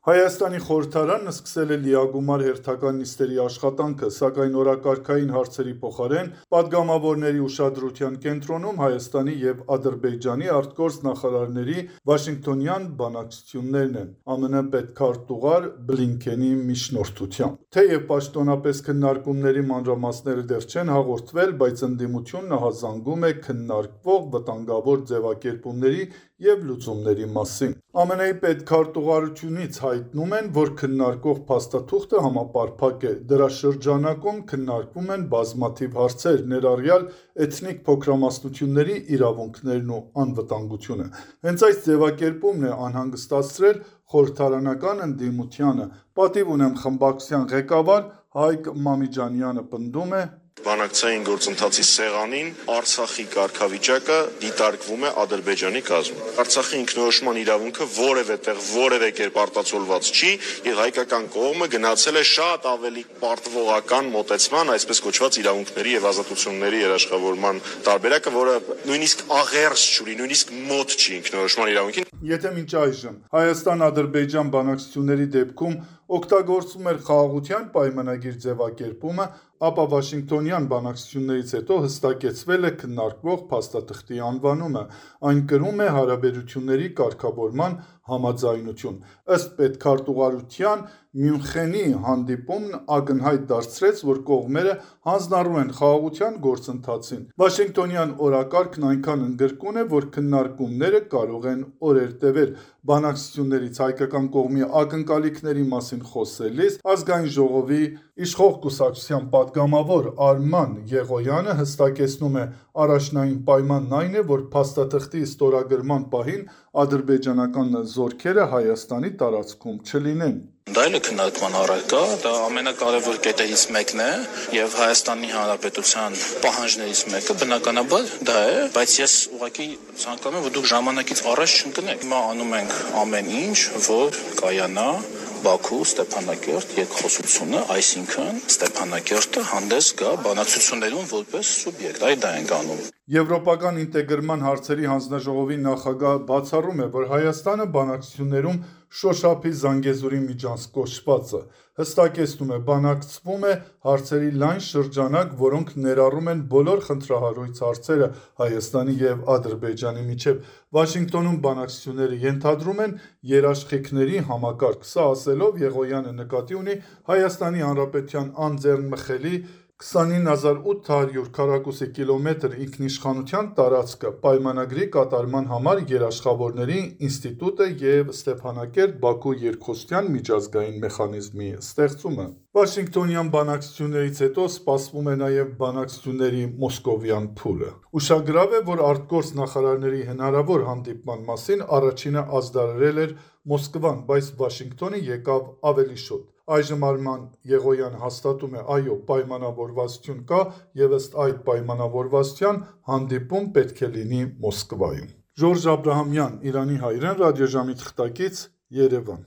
Հայաստանի խորհրդարանն սկսել է լիագումար հերթական նիստերի աշխատանքը, սակայն օրակարգային հարցերի փոխարեն պատգամավորների ուշադրության կենտրոնում Հայաստանի և Ադրբեջանի արտգործ նախարարների վաշինգտոնյան բանակցություններն են՝ ԱՄՆ պետքարտուղար Բլինքենի միջնորդությամբ։ Թեև պաշտոնապես քննարկումների մանրամասները դեռ չեն հաղորդվել, բայց ընդդիմությունն ահազանգում է քննարկվող վտանգավոր ձևակերպումների և լուծումների մասին։ ԱՄՆ-ի պետքարտուղարությունից հայտնում են, որ քննարկվող փաստաթուղթը համապարփակ է։ Դրա շրջանակում քննարկվում են բազմաթիվ հարցեր, ներառյալ էթնիկ փոքրամասնությունների իրավունքներն ու անվտանգությունը։ Հենց այս ձևակերպումն է անհանգստացրել խորհրդարանական ընդդիմությանը։ Պատիվ ունեմ խմբակցության ղեկավար Հայկ Մամիջանյանը պնդում է. Բանակցային գործընթացի սեղանին Արցախի կարգավիճակը դիտարկվում է Ադրբեջանի կազմում։ Արցախի ինքնորոշման իրավունքը որևէ տեղ որևէ կերպ արտացոլված չի, եւ հայկական կողմը գնացել է շատ ավելի պարտվողական մոտեցման, այսպես կոչված իրավունքների եւ ազատությունների երաշխավորման տարբերակը, որը նույնիսկ աղերս չունի, նույնիսկ մոտ չի ինքնորոշման իրավունքին։ Եթե մինչ այժմ Հայաստան-Ադրբեջան բանակցությունների դեպքում օգտագործվում էր խաղաղության պայմանագիր ձևակերպումը, ապա Վաշինգտոնյան բանակցություններից հետո հստակեցվել է քննարկվող փաստաթղթի անվանումը։ Այն կրում է հարաբերությունների կարգավորման համաձայնություն։ Ըստ պետքարտուղարության, Մյունխենի հանդիպումն ակնհայտ դարձրեց, որ կողմերը հանձնառու են խաղաղության գործընթացին։ Վաշինգտոնյան օրակարգն այնքան ընդգրկուն է, որ քննարկումները կարող են օրեր տևել։ Բանակցություններից հայկական կողմի ակնկալիքների մասին խոսելիս Ազգային ժողովի իշխող կուսակցության պատգամավոր Արման Եղոյանը հստակեցնում է. առաջնային պայմանն այն է, որ փաստաթղթի ստորագրման պահին ադրբեջանական զորքերը Հայաստանի տարածքում չլինեն։ Դա էլ է քննարկման առարկա, դա ամենակարևոր կետերից մեկն է եւ Հայաստանի Հանրապետության պահանջներից մեկը բնականաբար դա է, բայց ես ուղղակի ցանկանում եմ, որ դուք ժամանակից առաջ չընկնեք։ Հիմա անում ենք ամեն ինչ, որ կայանա Բաքու Ստեփանակերտ երկխոսությունը, այսինքն Ստեփանակերտը հանդես գա բանակցություններում որպես սուբյեկտ, այդ դա ենք անում։ Եվրոպական ինտեգրման հարցերի հանձնաժողովի նախագահ բացառում է, որ Հայաստանը բանակցություններում շոշափի Զանգեզուրի միջանցքոչվածը, հստակեցնում է, բանակցվում է հարցերի լայն շրջանակ, որոնք ներառում են բոլոր խնդրահարույց հարցերը Հայաստանի և Ադրբեջանի միջև։ Վաշինգտոնում բանակցությունները ենթադրում են երաշխիքների համակարգ։ Սա ասելով Եղոյանը նկատի ունի Հայաստանի Հանրապետության անձեռնմխելի 29800 քառակուսի կիլոմետր ինքնիշխանության տարածքը, պայմանագրի կատարման համար երաշխավորների ինստիտուտը և Ստեփանակերտ-Բաքու երկխոսության միջազգային մեխանիզմի ստեղծումը։ Վաշինգտոնյան բանակցություններից հետո սպասվում է նաև բանակցությունների մոսկովյան փուլը։ Ուշագրավ է, որ արտգործ նախարարների հնարավոր հանդիպման մասին առաջինը ազդարարել էր Մոսկվան, բայց Վաշինգտոնը եկավ ավելի շուտ։ Այժմ Արման Եղոյանը հաստատում է, այո, պայմանավորվածություն կա և ըստ այդ պայմանավորվածության հանդիպում պետք է լինի Մոսկվայում։ Ժորժ Աբրահամյան, Իրանի հայրեն, ռադիոժամի թղթակից, Երևան։